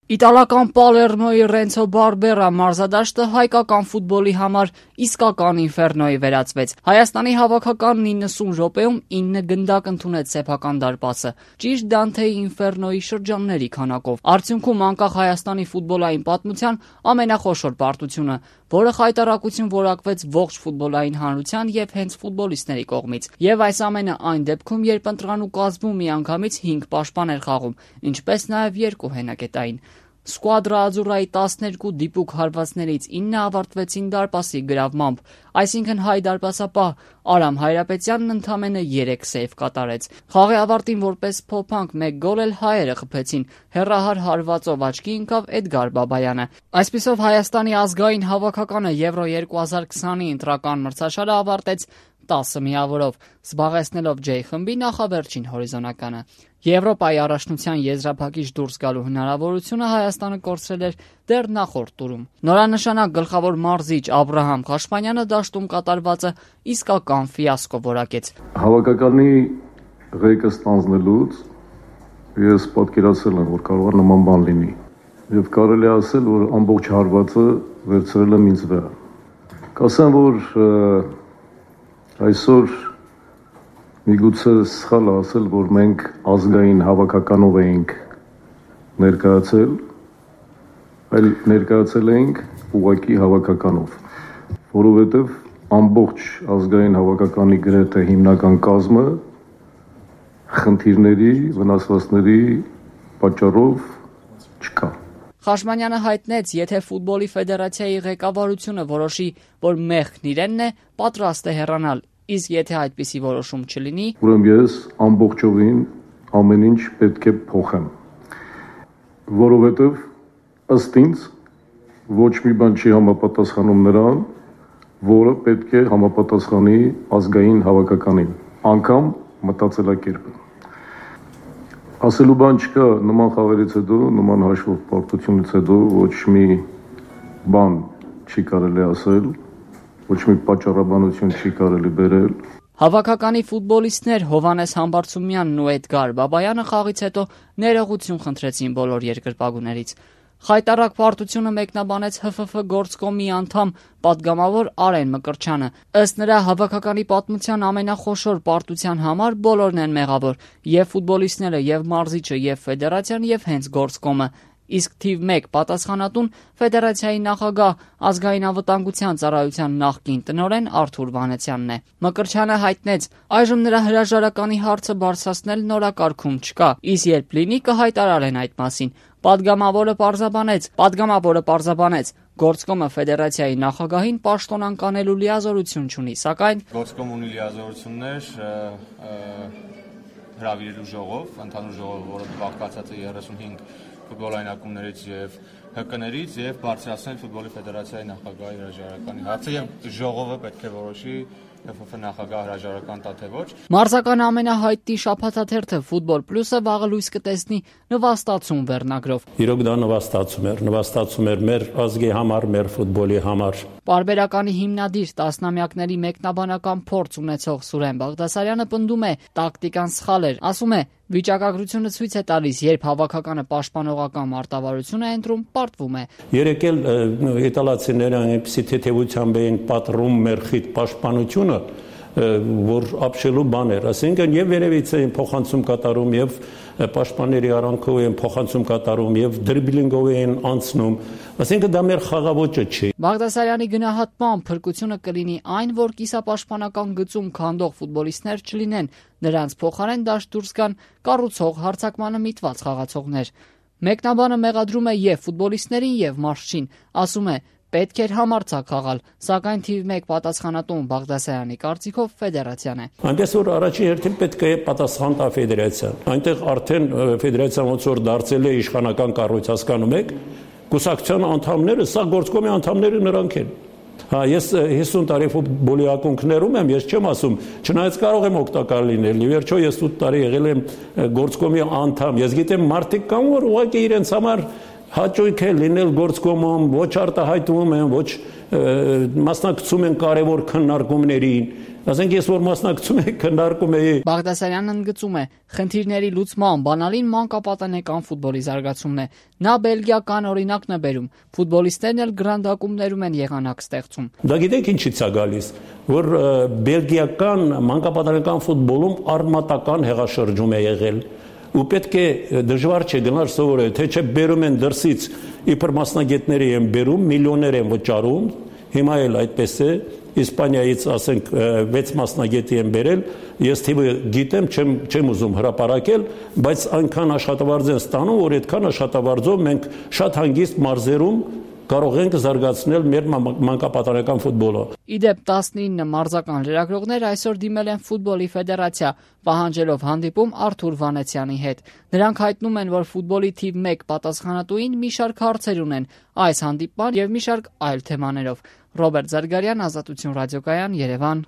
Իտալական Պալերմոյի Ռենցո Բարբերա մարզադաշտը հայկական ֆուտբոլի համար իսկական ինֆերնոյի վերածվեց։ Հայաստանի հավաքականն 90 րոպեում 9 գնդակ ընդունեց սեփական դարպասը, ճիշտ Դանթեի ինֆերնոյի շրջանների քանակով։ Արդյունքում անկախ Հայաստանի ֆուտբոլային պատմության ամենախոշոր պարտությունը, որը խայտառակություն որակվեց ողջ ֆուտբոլային հանրության եւ հենց ֆուտբոլիստների կողմից։ Եվ այս ամենը այն դեպքում, երբ ընտրանու կազմում միանգամից 5 պաշտպան էր խաղում, ինչպես նաեւ 2 հենակետային։ Սկուադրա Ադզուրայի 12 դիպուկ հարվածներից 9 ավարտվեցին դարպասի գրավմամբ, այսինքն հայ դարպասապահ Արամ Հայրապետյանն ընդամենը 3 սեյվ կատարեց։ Խաղի ավարտին որպես փոփանք 1 գոլ էլ հայերը խփեցին, հեռահար հարվածով աչքի ընկավ Էդգար Բաբայանը։ Այսպիսով Հայաստանի ազգային հավաքականը Եվրո 2020-ի ընտրական մրցաշարը ավարտեց 10 միավորով, զբաղեցնելով J խմբի նախավերջին հորիզոնականը։ Եվրոպայի առաջնության եզրափակիչ դուրս գալու հնարավորությունը Հայաստանը կորցրել էր դեռ նախորդ տուրում։ Նորանշանակ գլխավոր մարզիչ Աբրահամ Խաշպանյանը դաշտում կատարվածը իսկական ֆիասկո որակեց։ Հավաքականի ղեկը ստանձնելուց ես պատկերացել եմ, որ կարող է նման բան լինի, եւ կարելի ասել, որ ամբողջ հարվածը վերցրել եմ ինձ վրա։ Կասեմ, որ այսօր միգուցե սխալ ասել, որ մենք ազգային հավաքականով էինք ներկայացել, այլ ներկայացել էինք ուղղակի հավաքականով, որովհետև ամբողջ ազգային հավաքականի գրեթե հիմնական կազմը խնդիրների, վնասվածքների պատճառով չկա։ Խաշմանյանը հայտնեց, եթե ֆուտբոլի ֆեդերացիայի ղեկավարությունը որոշի, որ մեղքն իրենն է, պատրաստ է հեռանալ, իսկ եթե այդպիսի որոշում չլինի, ուրեմն ես ամբողջովին ամեն ինչ պետք է փոխեմ, որովհետև ըստ ինձ ոչ մի բան չի համապատասխանում նրան, որը պետք է համապատասխանի ազգային հավաքականին, անգամ մտածելակերպը։ Ասելու բան չկա, նման խաղերից հետո, նման հաշվով պարտությունից հետո ոչ մի բան չի կարելի ասել, ոչ մի պատճառաբանություն չի կարելի բերել։ Հավաքականի ֆուտբոլիստներ Հովանես Համբարձումյանն ու Էդգար Բաբայանը խաղից հետո ներողություն խնդրեցին բոլոր երկրպագուներից։ Խայտառակ պարտությունը մեկնաբանեց ՀՖՖ գործկոմի անդամ պատգամավոր Արեն Մկրտչյանը։ Ըստ նրա, հավաքականի պատմության ամենախոշոր պարտության համար բոլորն են մեղավոր՝ եւ ֆուտբոլիստները, եւ մարզիչը, եւ ֆեդերացիան, եւ հենց գործկոմը։ Իսկ թիվ 1 պատասխանատուն ֆեդերացիայի նախագահ, ազգային անվտանգության ծառայության նախկին տնօրեն Արթուր Վանեցյանն է։ Մկրտչյանը հայտնեց, այժմ նրա հրաժարականի հարցը բարձրացնել նորակարգում չկա, իսկ երբ լինի կհայտարարեն այդ մասին։ Պատգամավորը պարզաբանեց, գործկոմը ֆեդերացիայի նախագահին պաշտոնան կանելու լիազորություն չունի, սակայն գործկոմ ունի լիազորություններ հրավիրելու ժողով, ընդհանուր ժողով, որը բաղկացած է 35 ֆուտբոլային ակումբներից եւ ՀԿ-ներից եւ բարձրացնել ֆուտբոլի ֆեդերացիայի նախագահի հրաժարականի հարցը եւ ժողովը պետք է որոշի ՀՖՖ նախագահ հրաժարական տա թե ոչ։ Մարզական ամենահայտնի շաբաթաթերթը Ֆուտբոլ Պլյուսը վաղը լույս կտեսնի նվաստացում վերնագրով։ Իրոք դա նվաստացում էր մեր ազգի համար, մեր ֆուտբոլի համար։ Պարբերականի հիմնադիր տասնամյակների մեկնաբանական փորձ ունեցող Սուրեն Բաղդասարյանը պնդում է, տակտիկան սխալ էր, ասում է, վիճակագրությունը ցույց է տալիս, երբ հավաքականը պաշտպանողական մարտավարություն է ընտրում, պարտվում է։ Երեք էլ իտալացիները այնպիսի թեթևությամբ էին պատռում մեր խիտ պաշտպանությունը, որ ապշելու բան էր, ասենքն եւ երևից էին փոխանցում կատարում եւ պաշտպանների արանքով են փոխանցում կատարում եւ դրիբլինգով են անցնում, ասենքն դա մեր խաղաոճը չի։ Բաղդասարյանի գնահատմամբ փրկությունը կլինի այն, որ կիսապաշտպանական գծում քանդող ֆուտբոլիստներ չլինեն, նրանց փոխարեն դաշտ դուրս գան կառուցող հարձակմանը միտված խաղացողներ։ Մեկնաբանը մեղադրում է եւ ֆուտբոլիստներին եւ մարզչին, ասում է, պետք էր համարձակ խաղալ, սակայն թիվ 1 պատասխանատուն Բաղդասարյանի կարծիքով ֆեդերացիան է։ Այնպես որ առաջին հերթին պետք է պատասխան տա ֆեդերացիան։ Այնտեղ արդեն ֆեդերացիան ոնց որ դարձել է իշխանական կառույց, հասկանում եք, կուսակցության անդամները, սա գործկոմի անդամները նրանք են։ Ես 50 տարի ֆուտբոլի ակունքներում եմ, ես չեմ ասում, չնայած կարող եմ օգտակար լինել։ Ի վերջո ես 8 տարի եղել եմ գործկոմի անդամ։ Ես գիտեմ մարդիկ կան, որ ուղղակի իրենց համար հաճույք է լինել գործկոմում, ոչ արտահայտվում են, ոչ մասնակցում են կարևոր քննարկումներին։ Ասենք ես որ մասնակցում եմ քննարկում էի։ Բաղդասարյանն ընդգծում է, խնդիրների լուծման բանալին մանկապատանեկան ֆուտբոլի զարգացումն է։ Նա բելգիական օրինակն է բերում։ Ֆուտբոլիստներն էլ գրանցակումներում են եղանակ ստեղծում։ Դա գիտեք ինչից է գալիս, որ բելգիական մանկապատանեկան ֆուտբոլում արմատական հեղաշրջում է եղել։ Ու պետք է դժվար չէ գնալ սովորել, թե չէ բերում են դրսից իբր մասնագետների են բերում, միլիոններ են վճարում, հիմա էլ այդպես է, Իսպանիայից ասենք 6 մասնագետի են բերել, ես թիվը գիտեմ, չեմ ուզում հրապարակել, բայց այնքան աշխատավարձ են ստանում, որ այդքան աշխատավարձով մենք շատ հանգիստ մարզերում կարող ենք զարգացնել մեր մանկապատանեկան ֆուտբոլը։ Իդեպ 19 մարզական լրագրողներ այսօր դիմել են ֆուտբոլի ֆեդերացիա, պահանջելով հանդիպում Արթուր Վանեցյանի հետ։ Նրանք հայտնում են, որ ֆուտբոլի թիվ 1 պատասխանատուին մի շարք հարցեր ունեն այս հանդիպման եւ մի շարք այլ թեմաներով։ Ռոբերտ Զարգարյան, Ազատություն ռադիոկայան, Երևան։